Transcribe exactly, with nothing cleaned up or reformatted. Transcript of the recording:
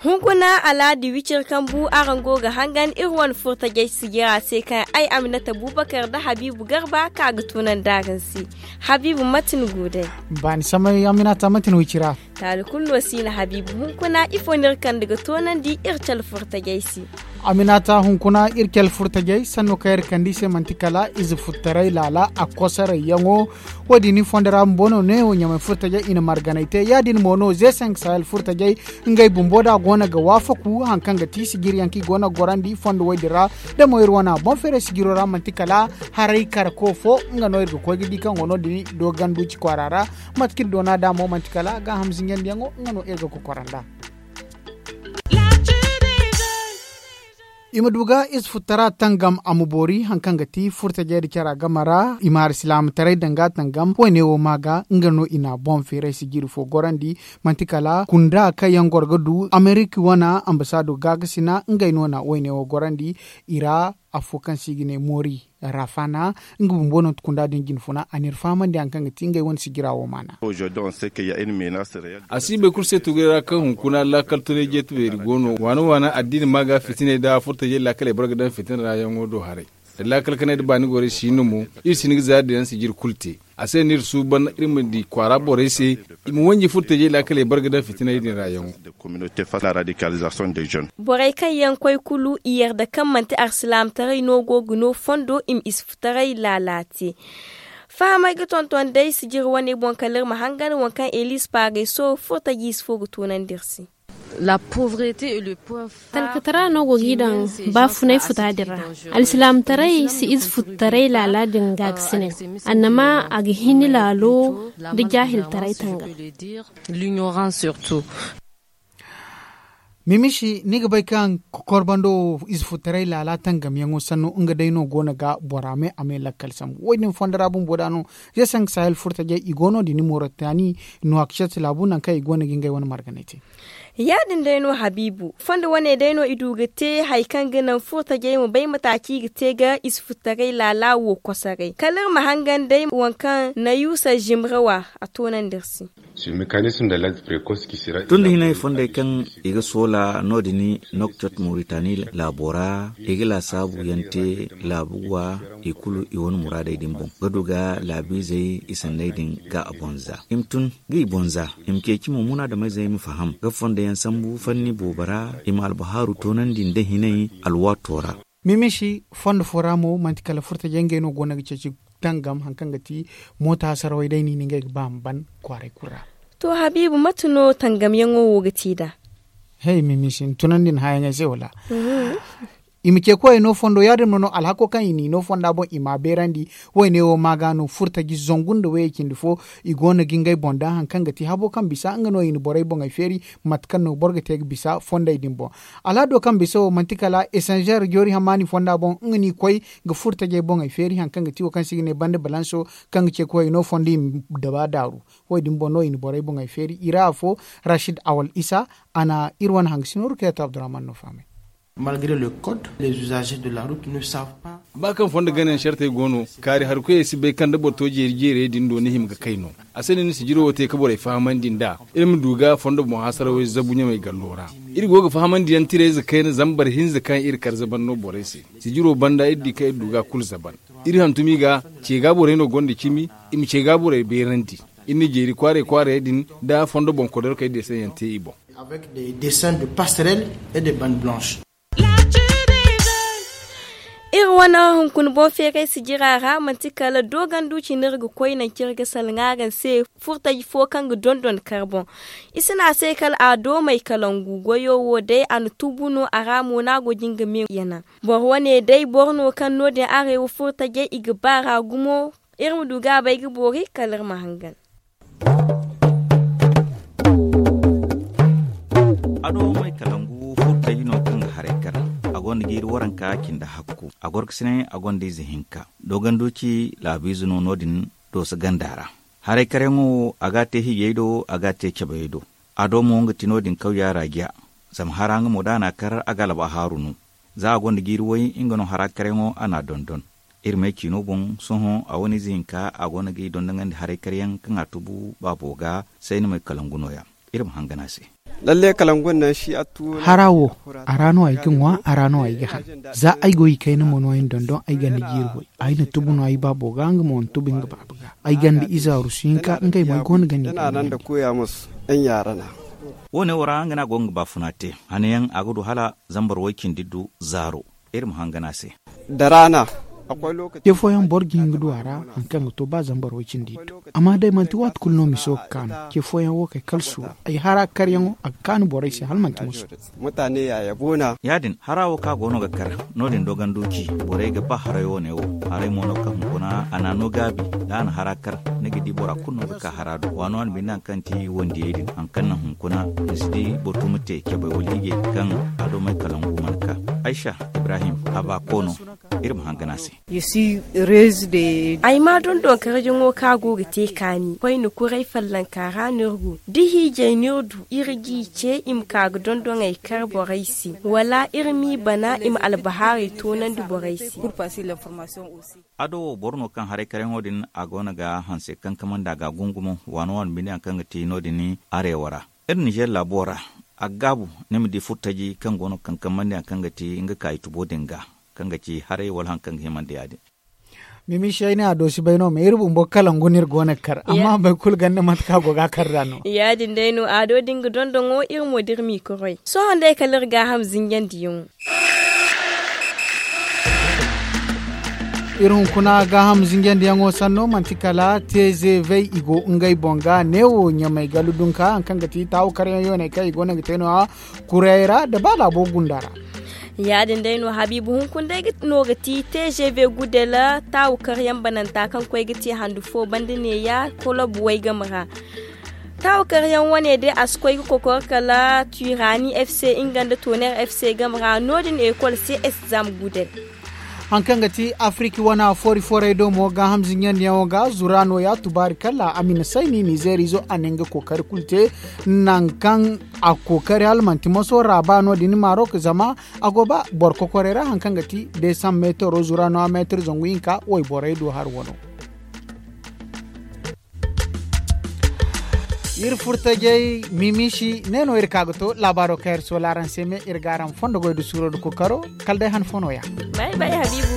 Hunkuna alaadi wicir kambu araŋ go ga hangan iri wane furtajey sijira se kaŋ ay aminata bubakar nda habiibu garba ka ga tunandi araŋ se. Habiibu mate ni go day? Baani samay aminata mate ni wicira? Taali kulu no si na habiibu hunkuna ifo no iri kande ga tunandi iri cale furtajey se? Aminata hunkuna iri cale furtajey sanno kaŋ iri kande i se manti kala ize futtaray laala a kosaray yaŋo. Wo- din ni fondo ra bumbo no ne wo ɲamay furtajey i na marganay te ya- din mo no ze sank sahel furtajey ngey bumbo da go no ga waafaku hari kaŋ ga ti sijiri yaŋ kaŋ i go no ga gorandi fondo wo- din ra. Da mo iri wane boŋ feeray sijiro ra manti kala haray kara ko fo nga no iri ga koy ga di kaŋ go no- din dooganduci kwaara ra. Mate kaŋ iri doona da mo manti kala gaaham zinjandiyaŋo nga no iri ga kokoranda. I ma du ga ize futtara tangam a ma boori hari kaŋ ga ti furtajey nda cara game ra i ma hari silaamataray danga tangam wo- ne wo ma ga nga no i na boŋ feeray sijiri fo gorandi. Manti kala kunda kaŋ yaŋ goro ga du amerika wane ambasaado gaakasina ngey no na wo- ne wo gorandi. I ra afo kaŋ se i ga ne moori rafana nga bumbo no ti kunda din jinfuna a n'iri fahamandi hari kaŋ ga ti ngey wane sijira wo maana. A si bay kulu se tugay ra kaŋ hunkuna laakal tunay jeeti beeri go no waana waana addiini ma ga fitinay nda furtajey laakaley boro ga daŋ fitina ra yaŋo do haray. Da laakal kanay nda baani gorey si no mo iri si hin ga zaari din yaŋ sijiri kulu te. A se no iri suuban iri ma di kwaara borey se i ma wanji furtajey laakaley boro ga daŋ fitinay din ra yaŋo. Borey kaŋ yaŋ koy kulu i yarda kaŋ manti arsilaamataray no go ga no fondo i ma ize futaray laala te. Fahamay ga tonton day sijiri wane boŋ kala iri ma hangan waŋ kaŋ elis paagay so furtajiize fo ga toonandi iri se. Talkatara no go g'i daŋ baafunay futa din ra. Alsilaamataray si ize futtaray laala din gaakasinay. Annama a ga hin ni laalo nda jaahiltaray tangam. Mimisi ni ga bay kaŋ kokorbando wo ize futtaray laala tangamyaŋo sanno nga day no go no ga bora me a me lakkal sambu wo- din fondo ra bumbo da no. Ze sank sahel furtajey i go no- din ni moritani no a ga cati laabu nangu kaŋ i go no ga ngey wane marganay te. Ya- din day no habiibu fondo wane day no i du ga te hari kaŋ ga naŋ furtajey ma bay mate kaŋ i ga te ga ize futtaray laala wo kosoray kala iri ma hangan day waŋ kaŋ na yusa zimrawa a toonandi iri se. Tun da hinay fondey kaŋ i ga soola no- din nokcot moritani laabo ra i ga laasaabu yaŋ te laabu ga i kulu i wane muraadey din boŋ ga du ga laabiizey i sanney din ga a boŋ za i ma tun ga i boŋ za i ma ceeci mo munaadamey zey ma faham ga fondo yaŋ sambu fanni boobo ra i ma albahaaru toonandi nda hinay alwaato ra. Mimisi fondo fo ra mo manti kala furtajey ngey no go no ga ceeci tangam hari kaŋ ga ti moota hasarawey day no i na ngey ga ba ma ban kwaaray kulu ra. To habiibu mate no tangamyaŋo wo ga ti nd'a? Hey mimisi ni tunandi ni hãyaŋey se wala? I ma ce koyey no fondo ya- din ma no alhako kaŋ i n'i no fonda boŋ i m'a beerandi. Wo- ne wo ma ga no furtaji zangu nda wayey cindi fo i go no ga ngey boŋ daŋ hari kaŋ ga ti habo kaŋ bisa nga no i na borey boŋey feeri. Mate kaŋ no boro ga te ga bisa fondey din boŋ. Alhado kaŋ bisa wo manti kala esanzeer joori hammaani fonda boŋ nga n'i koy ga furtajey boŋey feeri hari kaŋ ga ti wo kaŋ se i ga ne banda balanso kaŋ ga ce koyey no fondo i ma daba daaru. Wo- din boŋ no i na borey boŋey feeri i ra afo. Rashid awal isa a na iri wane hangasino rukayatu abdurrahman no fahamay. Ba kaŋ fondo ganayaŋ sartey go no kaari hari koyey si bay kaŋ da boro to jeeri jeerey din do ni hima ga kay no. A se no ni sijiro wo te ga borey fahamandi nd'a iri ma du ga fondo boŋ hasarawey zabu ɲamey gallo ra. Iri go ga fahamandi yaŋ tirayze kayna zambar hinza kaŋ iri kar zaban no borey se. Sijiro banda iri di kaŋ iri du ga kulu zaban. Iri hantumi ga ce ga borey no gonda cimi i ma ce ga borey beerandi. Iri na jeeri kwaaray kwaarayey din nda fondo boŋ kodarkey deesaŋ yaŋ te i boŋ. Iri wane hunkuna boŋ feeray sijira ra manti kala doogandu cine iri ga koy nangu kaŋ iri ga salaŋ araŋ se. Furtaji fo kaŋ ga dondon kar boŋ i si ne a se kala a doomey kalangu goyo wo day a na tubu no a ra mo no a go ga nga me yanaŋ. Boro wane day boro no kaŋ no- din arewa furtajey i ga ba ra gumo. Iri ma du ga a bay ga boori kala iri ma hangan. Ado may kalangu furtaji no kaŋ ga haray kar a gonda jiiri waranka cindi hakku a gorkasinay a gonda ize hinka. Dooganduci laabiize no no- din dooso ganda ra. Haray karyaŋo wo a ga a te hijey do a ga a te cabeyey do. A do mo nga ti no- din kaw yaara jiya. Zama hara nga mo da a na a kar a ga alba haaru no. Za a gonda jiiri way nga no hara karyaŋo a na a dondon. Iri may ciino boŋ sohõ a wane ize hinka a go no ga i dondonandi haray karyaŋ kaŋ a tubu baabo ga. Sayni may kalangu no- ya. Iri ma hangan a se. Hara wo, a ra no ay ga ŋwa, a ra no ay ga han. Za ay go i kayna mo no ay na dondon ay ganda jiiri way. Ay na tubu no ay baabo ga nga mo na tubu nga baaba ga. Ay ganda ize arusu hinka ngey mo ay go no ga ni dondon. Wo- ne wo ra nga no a go ga nga baafuna te. Hanayaŋ a ga du hala zambar way cindi du zaaro. Iri ma hangan a se. Ce fooyaŋ boro ga hin ga du a ra hari kaŋ ga to ba zambar way cindi iddu. Amma day manti waati kulu no miso ga kaanu. Ce fooyaŋ wo kay kala suuru ay hara karyaŋo a ga kaanu borey se hala manti musu. Ya- din hara wo kaŋ a go no ga kar no- din doganduci. Borey ga ba haray wo- ne wo. Haray mo no kaŋ hunkuna a na a no gaabi. Da a na hara kar ni ga di bora kulu no ga ka hara do waano a na binde hari kaŋ ti wandiyey din hari kaŋ naŋ hunkuna ni si di boro tuma te cabay wala hiijay kaŋ a do may kalangu mana ka. Aysa ibrahim a ba koono. Iri ma hangan a se. Ay ma dondon karjaŋo kaŋ a go ga te kaani koyne kuray fallanka ra no iri go da hiijay no iri du iri g'i ce i ma ka ga dondon ay kar borey se wala iri m'i bana i ma albahaarey toonandi borey se. A do wo boro no kaŋ haray karyaŋo din a go no ga hanse kaŋ kamandi a ga a gungumo waano waano binde hari kaŋ ga te no- din areewa ra. Iri nizer laabo ra a ga gaabu ni ma di furtaji kaŋ go no ga kaŋ kamandi hari kaŋ ga te nga kaayi tubo din ga kaŋ ga ci haray wala hari kaŋ ga himandi ya- din. Mimi se ay ne a do si bay no ma iri bumbo kalangu no iri go no ga kar amma boro kulu ganda mate kaŋ a go ga a kar nd'a no. Ya- din day no a do da nga dondoŋo iri mo da iri m'i koroy sohõ day kala iri gaaham zinjandiyaŋo. Iri hunkuna gaaham zinjandiyaŋo sanno manti kala te zeevey i go ngey boŋ ga neewo ɲamay galu dunka hari kaŋ ga ti taawu karyaŋ yooney kaŋ i go no ga te no- ya. Kurey ra nda ba laabo gunda ra. Ya- din day no habiibu hunkuna day no ga ti te zeeve gudel taawu karyaŋ bananta kaŋ koy ga te handu fo banda neeya kolob way game ra. Taawu karyaŋ wane day a si koy ga kokor kala turani f c nga nda toner f c game ra no- din ekol c s zam gudel. Hari kaŋ ga ti afiriki wana foori foorey do mo gaaham zinjandiyaŋo ga zura nooya tubaari kala a ma ni sayni nizeer izo a na nga kookari kulu te. Nangu kaŋ a kookari hala manti moso ra ba no- din maarok zama a go ba boro kokorey ra hari kaŋ ga ti deesamb meetaro zura nooya meetar zangu hinka wayborey do hari wano. Iri furtajey mimisi ne no iri ka ga to laabaaro kaŋ iri soola araŋ se me iri ga araŋ fondo goy nda suuro nda kookaro. Kala day han fo nooya. Bay bay habiibu.